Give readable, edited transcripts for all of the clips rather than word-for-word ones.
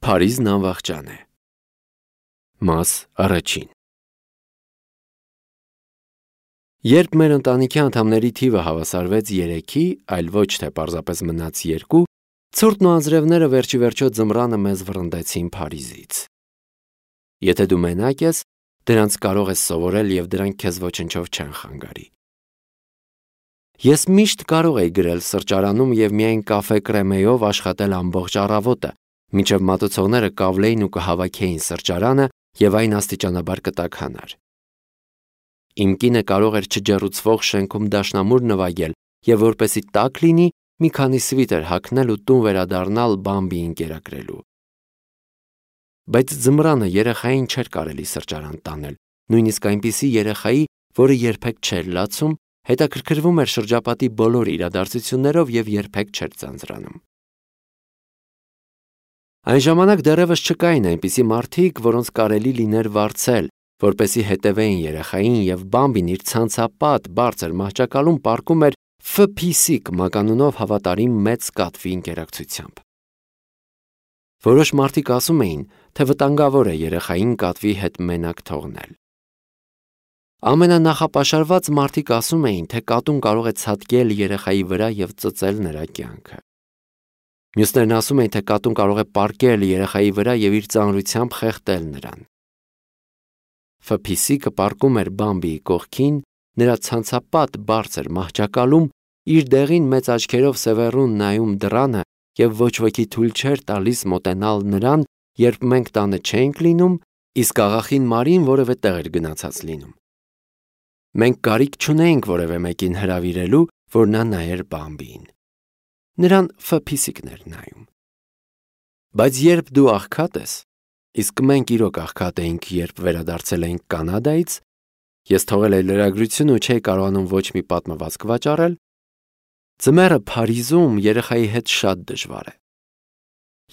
Փարիզն անվախճան է։ Մաս առաջին։ Երբ մեր ընտանիքի անդամների թիվը հավասարվեց 3-ի, այլ ոչ թե պարզապես մնաց 2, ցուրտն ու անձրևները վերջիվերջո ձմռանը մեզ վռնդեցին Փարիզից։ Եթե դու մենակ ես, դրանց կարող ես սովորել և դրանք քեզ ոչնչով չեն խանգարի։ Ես միշտ կարող էի գրել սրճարանում և միայն կաֆե կրեմեյով աշխատել ամբողջ առավոտը, մինչև մատուցողները կավլեին ու կհավաքեին սրճարանը և այն աստիճանաբար կտաքանար։ Իմ կինը կարող էր չջեռուցվող շենքում դաշնամուր նվագել և որպեսզի տաք լինի, մի քանի սվիտեր հագնել ու տուն վերադառնալ Բամբիին կերակրելու։ Բայց ձմռանը երեխային չէր կարելի սրճարան տանել, նույնիսկ այնպիսի երեխայի, որը երբեք չէր լացում, հետաքրքրվում էր շրջապատի բոլոր իրադարձություններով և երբեք չէր ձանձրանում։ Այն ժամանակ դեռևս չկային այնպիսի մարդիկ, որոնց կարելի լիներ վարձել, որպեսզի հետևեին երեխային, և Բամբին իր ցանցապատ բարձր մահճակալում պառկում էր Ֆ.Փ.Ս. մականունով հավատարիմ մեծ կատվի ընկերակցությամբ։ Որոշ մարդիկ ասում էին, թե վտանգավոր է երեխային կատվի հետ մենակ թողնել։ Ամենանախապաշարված մարդիկ ասում էին, թե կատուն կարող է ցատկել երեխայի վրա և ծծել նրա կյանքը։ Մյուսներն ասում էին, թե կատուն կարող է պառկել երեխայի վրա և իր ծանրությամբ խեղդել նրան։ Ֆ.Փ.Ս. պառկում էր Բամբիի կողքին, նրա ցանցապատ բարձր մահճակալում, իր դեղին մեծ աչքերով սևեռուն նայում դռանը և ոչ ոքի թույլ չէր տալիս մոտենալ նրան, երբ մենք տանը չէինք լինում, իսկ աղախին Մարին որևէ տեղ էր գնացած լինում։ Մենք կարիք չունեինք որևէ մեկին հրավիրելու, որ նա նայեր Բամբիին։ Նրան Ֆ.Փ.Ս.-ն էր նայում։ Բայց երբ դու աղքատ ես, իսկ մենք իրոք աղքատ էինք, երբ վերադարձել էինք Կանադայից, ես թողել էի լրագրությունը ու չէի կարողանում ոչ մի պատմվածք վաճառել, ձմեռը Փարիզում երեխայի հետ շատ դժվար է։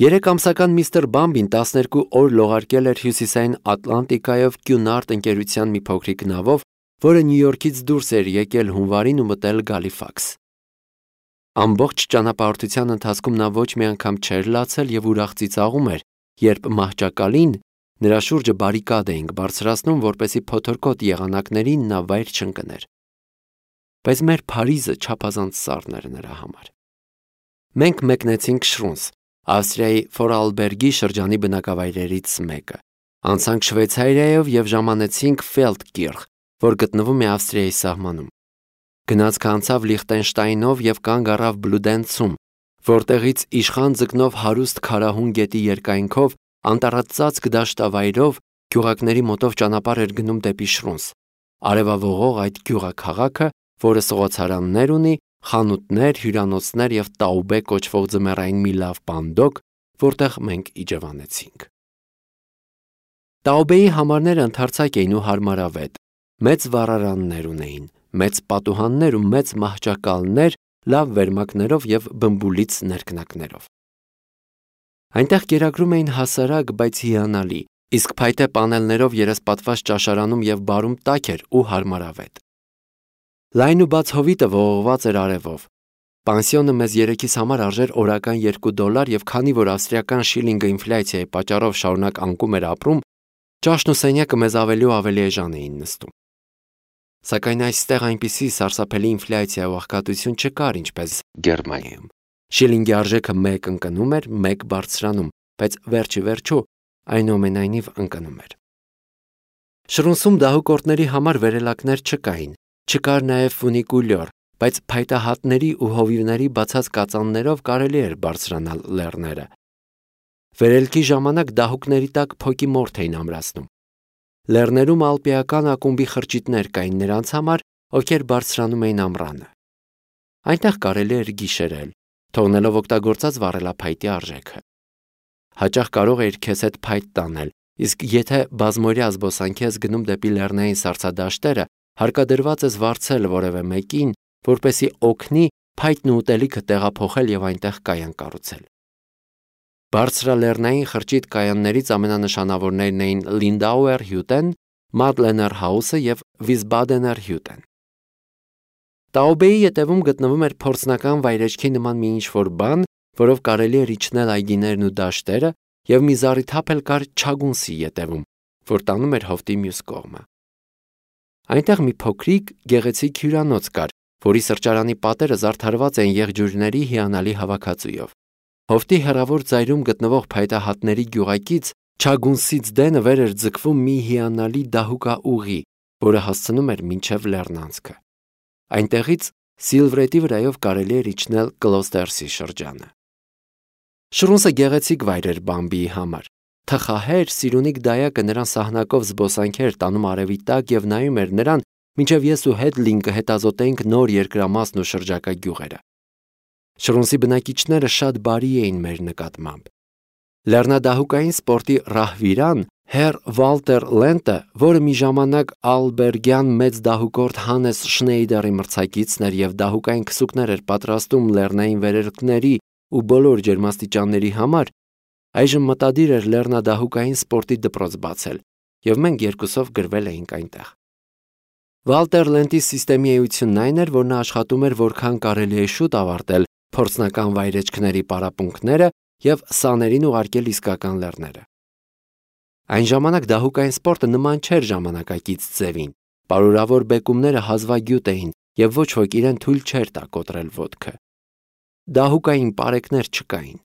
3-ամսական միստր Բամբին 12 օր լողարկել էր հյուսիսային Ատլանտիկայով Կյունարդ ընկերության մի փոքրիկ նավով, որը Նյու Յորքից դուրս էր եկել հունվարին ու մտել Գալիֆաքս։ Ամբողջ ճանապարհորդության ընթացքում նա ոչ մի անգամ չէր լացել և ուրախ ծիծաղում էր, երբ մահճակալին նրա շուրջը բարիկադ էինք բարձրացնում, որպեսզի փոթորկոտ եղանակներին նա վայր չընկներ։ Բայց մեր Փարիզը չափազանց սառն էր նրա համար։ Մենք մեկնեցինք Շրունս, Ավստրիայի Ֆորարլբերգի շրջանի բնակավայրերից մեկը, անցանք Շվեյցարիայով և ժամանեցինք Ֆելդկիրխ, որ գտնվում է Ավստրիայի սահմանում։ Գնացքը անցավ Լիխտենշտայնով և կանգ առավ Բլուդենցում, որտեղից իշխան ձկնով հարուստ քարահուն գետի երկայնքով, անտառածածկ դաշտավայրով գյուղակների մոտով ճանապարհ էր գնում դեպի Շրունս, արևավողող այդ գյուղաքաղաքը, որը սղոցարաններ ունի, խանութներ, հյուրանոցներ և Տաուբե կոչվող ձմեռային մի լավ պանդոկ, որտեղ մենք իջևանեցինք։ Տաուբեի համարները ընդարձակ էին ու հարմարավետ, մեծ վառարաններ ունեին, մեծ պատուհաններ ու մեծ մահճակալներ, լավ վերմակներով և բմբուլից ներքնակներով։ Այնտեղ կերակրում էին հասարակ, բայց հիանալի, իսկ փայտե պանելներով երեսպատված ճաշարանում և բարում տաք էր ու հարմարավետ։ Լայն ու բաց հովիտը ողողված էր արևով։ Պանսիոնը մեզ երեքիս համար արժեր օրական $2 և քանի որ ավստրիական շիլինգը ինֆլյացիայի պատճառով շարունակ անկում էր ապրում, ճաշն ու սենյակը մեզ ավելի ու ավելի էժան էին նստում։ Սակայն այստեղ այնպիսի սարսափելի ինֆլյացիա ու աղքատություն չկար, ինչպես Գերմանիայում։ Շիլինգի արժեքը 1 ընկնում էր, 1 բարձրանում, բայց վերջի վերջո այնուամենայնիվ ընկնում էր։ Շրունսում դահուկորդների համար վերելակներ չկային, չկար նաև ֆունիկուլյոր, բայց փայտահատների ու հովիվների բացած կածաններով կարելի էր բարձրանալ լեռները։ Վերելքի ժամանակ դահուկների տակ փոկի մորթ էին ամրացնում։ Լեռներում ալպիական ակումբի խրճիթներ կային նրանց համար, ովքեր բարձրանում էին ամռանը։ Այնտեղ կարելի էր գիշերել, թողնելով օգտագործած վառելափայտի արժեքը։ Հաճախ կարող էիր քեզ հետ փայտ տանել, իսկ եթե բազմօրյա զբոսանքի ես գնում դեպի լեռնային սառցադաշտերը, հարկադրված ես վարձել որևէ մեկին, որպեսզի օգնի փայտն ու ուտելիքը տեղափոխել և այնտեղ կայան կառուցել։ Բարձրալեռնային խրճիթ կայաններից ամենանշանավորներն էին Լինդաուեր Հյուտեն, Մադլեներ Հաուսը և Վիսբադեներ Հյուտեն։ Տաուբեի ետևում գտնվում էր փորձնական վայրեջքի նման մի ինչ-որ բան, որով կարելի էր իջնել այգիներն ու դաշտերը և մի զառիթափ էլ կար չագունսի ետևում, որ տանում էր հովտի մյուս կողմը։ Այնտեղ մի փոքրիկ գեղեցիկ հյուրանոց կար, որի սրճարանի պատերը զարդարված էին եղջյուրների հիանալի հավաքածուով։ Հովտի հեռավոր ծայրում գտնվող փայտահատների գյուղակից չագունսից դենը վեր էր ձգվում մի հիանալի դահուկաուղի, որը հասցնում էր մինչև լեռնանցքը։ Այնտեղից Սիլվրետի վրայով կարելի էր իջնել Կլոստերսի շրջանը։ Շրունսը գեղեցիկ վայր էր Բամբիի համար։ Թխահեր, սիրունիկ դայակը նրան սահնակով զբոսանքեր տանում արևի տակ և նայում էր նրան, մինչև ես ու Հեդլինգը հետազոտեինք նոր երկրամասն ու շրջակա գյուղերը։ Շրունսի բնակիչները շատ բարի էին մեր նկատմամբ։ Լեռնադահուկային սպորտի ռահվիրան Հեր Վալտեր Լենտը, որը մի ժամանակ ալբերգյան մեծ դահուկորդ Հանես Շնեյդերի մրցակիցն էր և դահուկային քսուկներ էր պատրաստում լեռնային վերելքների ու բոլոր ջերմաստիճանների համար, այժմ մտադիր էր լեռնադահուկային սպորտի դպրոց բացել, և մենք երկուսով գրվել էինք այնտեղ։ Վալտեր Լենտի սիստեմի էությունն այն էր, որ նա աշխատում էր որքան կարելի է շուտ ավարտել փորձնական վայրեջքների պարապմունքները և սաներին ուղարկել իսկական լեռները։ Այն ժամանակ դահուկային սպորտը նման չէր ժամանակակից ձևին, պարուրավոր բեկումները հազվագյուտ էին և ոչ ոք իրեն թույլ չէր տա կոտրել ոտքը։ Դահուկային պարեկներ չկային։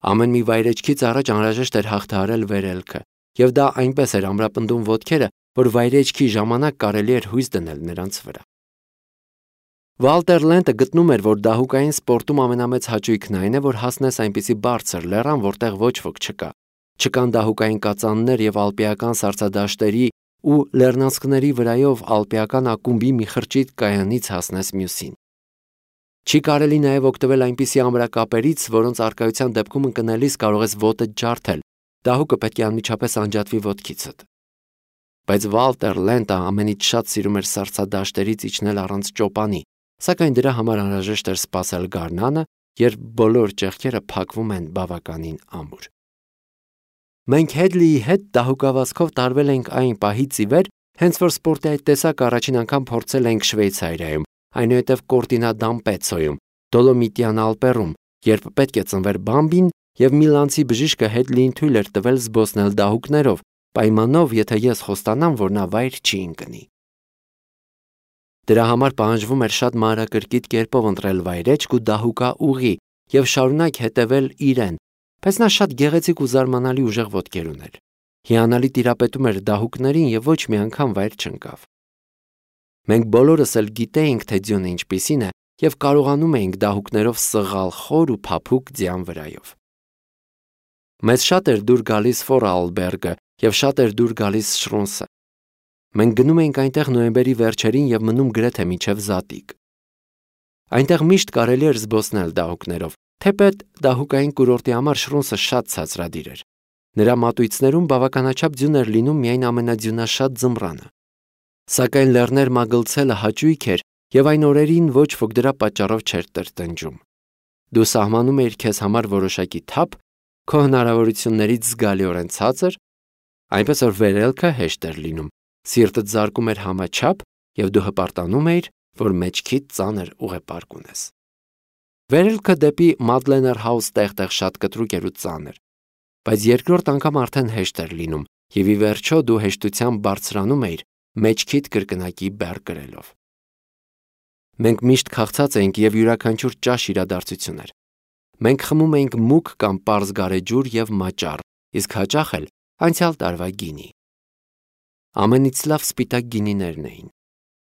Ամեն մի վայրեջքից առաջ անհրաժեշտ էր հաղթահարել վերելքը, և դա այնպես էր ամրապնդում ոտքերը, որ վայրեջքի ժամանակ կարելի էր հույս դնել նրանց վրա։ Վալտեր Լենտը գտնում էր, որ դահուկային սպորտում ամենամեծ հաճույքն այն է, որ հասնես այնպիսի բարձր լեռան, որտեղ ոչ ոք չկա։ Չկան դահուկային կածաններ և ալպիական սառցադաշտերի ու լեռնանցքների վրայով ալպիական ակումբի մի խրճիթ կայանից հասնես մյուսին։ Չի կարելի նաև օգտվել այնպիսի ամրակապերից, որոնց առկայության դեպքում ընկնելիս կարող ես ոտդ ջարդել, դահուկը պետք է անմիջապես անջատվի ոտքիցդ։ Բայց Վալտեր Լենտը ամենից շատ սիրում էր սառցադաշտերից իջնել առանց ճոպանի, սակայն դրա համար անհրաժեշտ էր սպասել գարնանը, երբ բոլոր ճեղքերը փակվում են բավականին ամուր։ Մենք Հեդլիի հետ դահուկավազքով տարվել ենք այն պահից ի վեր, հենց որ սպորտի այդ տեսակը առաջին անգամ փորձել ենք Շվեյցարիայում, այնուհետև Կորտինա դ'Ամպեցոյում, Դոլոմիտյան Ալպերում, երբ պետք է ծնվեր Բամբին, և միլանցի բժիշկը Հեդլիին թույլ էր տվել զբոսնել դահուկներով, պայմանով, եթե ես խոստանամ, որ նա վայր չի ընկնի։ Դրա համար պահանջվում էր շատ մանրակրկիտ կերպով ընտրել վայրեջք ու դահուկաուղի և շարունակ հետևել իրեն, բայց նա շատ գեղեցիկ ու զարմանալի ուժեղ ոտքեր ուներ։ Հիանալի տիրապետում էր դահուկներին և ոչ մի անգամ վայր չընկավ։ Մենք բոլորս էլ գիտեինք, թե ձյունը ինչպիսին է, և կարողանում էինք դահուկներով սղալ խոր ու փափուկ ձյան վրայով։ Մեզ շատ էր դուր գալիս Ֆորարլբերգը և շատ էր դուր գալիս Շրունսը։ Մենք գնում էինք այնտեղ նոյեմբերի վերջերին և մնում գրեթե մինչև զատիկ։ Այնտեղ միշտ կարելի էր զբոսնել դահուկներով, թեպետ դահուկային կուրորտի համար Շրունսը շատ ցածրադիր էր։ Նրա մատույցներում բավականաչափ ձյուն էր լինում միայն ամենաձյունաշատ ձմռանը։ Սակայն լեռներ մագլցելը հաճույք էր, և այն օրերին ոչ ոք դրա պատճառով չէր տրտնջում։ Դու սահմանում էիր քեզ համար որոշակի թափ, քո հնարավորություններից զգալիորեն ցածր, այնպես որ վերելքը հեշտ էր լինում, սիրտդ զարկում էր համաչափ, և դու հպարտանում էիր, որ մեջքիդ ծանր ուղեպարկ ունես։ Վերելքը դեպի Մադլեներ Հաուս տեղ-տեղ շատ կտրուկ էր ու ծանր, բայց երկրորդ անգամ արդեն հեշտ էր լինում, և ի վերջո դու հեշտությամբ բարձրանում էիր մեջքիդ կրկնակի բեռ կրելով։ Մենք միշտ քաղցած էինք և յուրաքանչյուր ճաշ իրադարձություն էր։ Մենք խմում էինք մուգ կամ պարզ գարեջուր և մաճառ, իսկ հաճախ էլ անցյալ տարվա գինի։ Ամենից լավ սպիտակ գինիներն էին։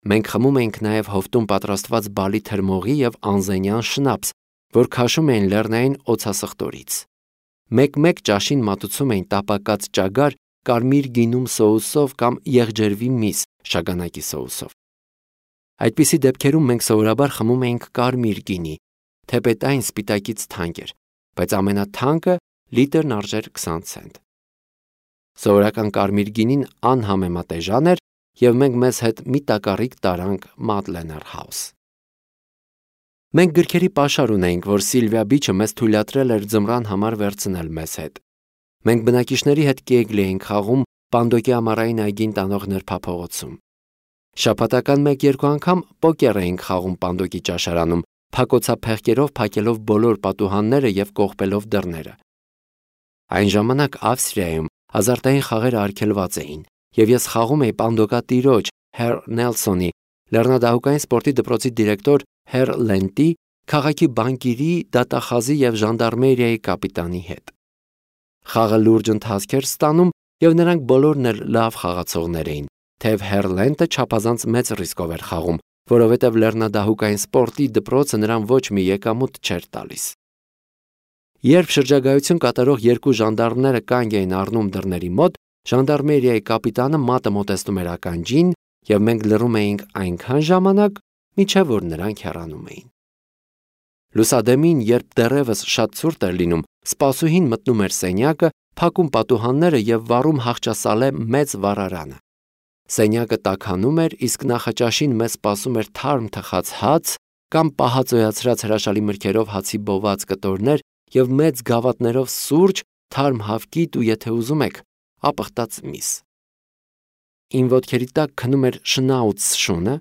Մենք խմում էինք նաև հովտում պատրաստված բալի թրմողի և անզենյան շնապս, որ քաշում էին լեռնային օձասխտորից։ Մեկ-մեկ ճաշին մատուցում էին տապակած ճագար կարմիր գինում սոուսով կամ եղջերվի միս շագանակի սոուսով։ Այդպիսի դեպքերում մենք սովորաբար խմում էինք կարմիր գինի, թեպետ այն սպիտակից թանկ էր, բայց ամենաթանկը լիտրն արժեր 20 ցենտ։ Սովորական կարմիր գինին անհամեմատ էժան էր, և մենք մեզ հետ մի տակառիկ տարանք Մադլեներ Հաուս։ Մենք գրքերի պաշար ունեինք, որ Սիլվիա Բիչը մեզ թույլատրել էր ձմռան համար վերցնել մեզ հետ։ Մենք բնակիչների հետ կեգլի էինք խաղում Պանդոկի ամառային այգին տանող նրբափողոցում։ Շաբաթական 1-2 անգամ պոկեր էինք խաղում Պանդոկի ճաշարանում, փակոցափեղկերով փակելով բոլոր պատուհանները և կողպելով դռները։ Այն ժամանակ Ավստրիայում ազարտային խաղերը արգելված էին, եւ ես խաղում էի պանդոկատիրոջ Հեր Նելսոնի, լեռնադահուկային սպորտի դպրոցի դիրեկտոր Հեր Լենտի, քաղաքի բանկիրի, դատախազի եւ ժանդարմերիայի կապիտանի հետ։ Խաղը լուրջ ընթացք էր ստանում, եւ նրանք բոլորն էլ լավ խաղացողներ էին, թեև Հեր Լենտը չափազանց մեծ ռիսկով էր խաղում, որովհետև լեռնադահուկային սպորտի դպրոցը նրան ոչ մի եկամուտ չէր տալիս։ Երբ շրջագայություն կատարող երկու ժանդարմները կանգ էին առնում դռների մոտ, ժանդարմերիայի կապիտանը մատը մոտեցնում էր ականջին, եւ մենք լռում էինք այնքան ժամանակ, մինչև որ նրանք հեռանում էին։ Լուսադեմին, երբ դեռևս շատ ցուրտ էր լինում, սպասուհին մտնում էր սենյակը, փակում պատուհանները եւ վառում հաղճասալե մեծ վառարանը։ Սենյակը տաքանում էր, իսկ նախաճաշին մեզ սպասում էր թարմ թխած հաց կամ պահածոյացրած հրաշալի մրգերով հացի բոված կտորներ եւ մեծ գավաթներով սուրճ, թարմ հավկիտ ու եթե ուզում եք, ապխտած միս։ Իմ ոտքերի տակ քնում էր շնաուց շունը,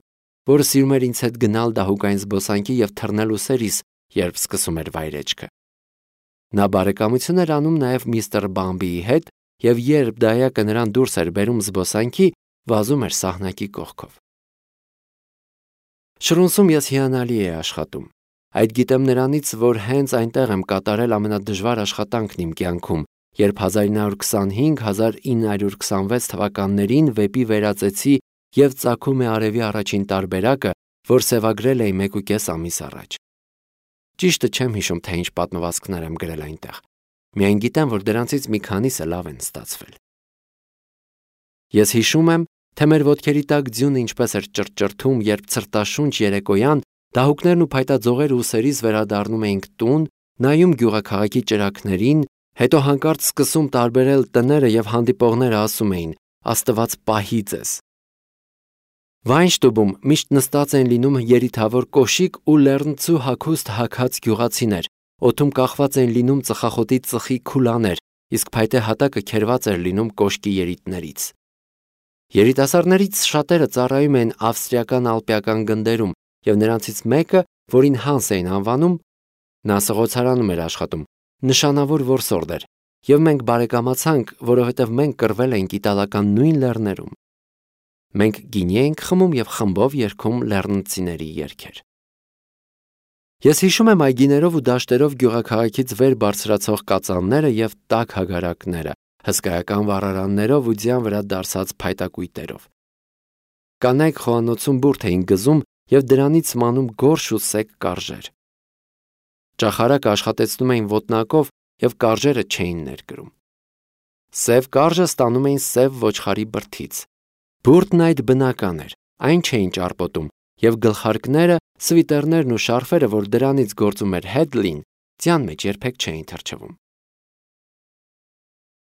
որը սիրում էր ինձ հետ գնալ դահուկային զբոսանքի եւ թռնել ուսերիս, երբ սկսում էր վայրեջքը։ Նա բարեկամություն էր անում նաեւ միստր Բամբիի հետ եւ երբ դայակը նրան դուրս էր բերում զբոսանքի, վազում էր սահնակի կողքով։ Շրունսում ես հիանալի էի աշխատում։ Այդ գիտեմ նրանից, որ հենց այնտեղ եմ կատարել ամենադժվար աշխատանքն իմ կյանքում, երբ 1925-1926 թվականներին վեպի վերածեցի եւ ծագում է արևի առաջին տարբերակը, որ սևագրել էի 1.5 ամիս առաջ։ Ճիշտը չեմ հիշում, թե ինչ պատմվածքներ եմ գրել այնտեղ։ Միայն գիտեմ, որ դրանցից մի քանիսը լավ են ստացվել։ Ես հիշում եմ, թե մեր ոտքերի տակ ձյունը ինչպես էր ճռճռթում, երբ ցրտաշունչ երեկոյան դահուկներն ու փայտաձողերը ուսերից վերադառնում էինք տուն, նայում գյուղաքաղաքի ճրագներին, հետո հանկարծ սկսում տարբերել տները եւ հանդիպողները ասում էին. «Աստված պահի ձեզ»։ Վայնշտուբում միշտ նստած են լինում երիթավոր կոշիկ ու լեռնցու հագուստ հագած գյուղացիներ, օդում կախված են լինում ծխախոտի ծխի քուլաներ, իսկ փայտե հատակը քերված էր լինում կոշկի երիտներից։ Երիտասարդներից շատերը ծառայում են ավստրիական ալպիական գնդերում, եւ նրանցից մեկը, որին Հանս էին անվանում, նա սղոցարանում էր աշխատում, նշանավոր որսորդ էր, եւ մենք բարեկամացանք, որովհետեւ մենք կռվել էինք իտալական նույն լեռներում։ Մենք գինի էինք խմում եւ խմբով երգում լեռնցիների երգեր։ Ես հիշում եմ այգիներով ու դաշտերով գյուղաքաղաքից վեր բարձրացող կածանները եւ տաք հագարակները, հսկայական վառարաններով ու ձյան վրա դարսած փայտակույտերով։ Կանայք խոհանոցում բուրդ էին գզում եւ դրանից մանում գորշ ու սեկ կարժեր։ Ճախարակը աշխատեցնում էին ոտնակով եւ կարժերը չէին ներկրում։ Սև կարժը ստանում էին սև ոչխարի բրդից։ Բուրդն այդ բնական էր, այն չէին ճարպոտում, եւ գլխարկները, սվիտերներն ու շարֆերը, որ դրանից գործում էր Հեդլին, ձյան մեջ երբեք չէին թրջվում։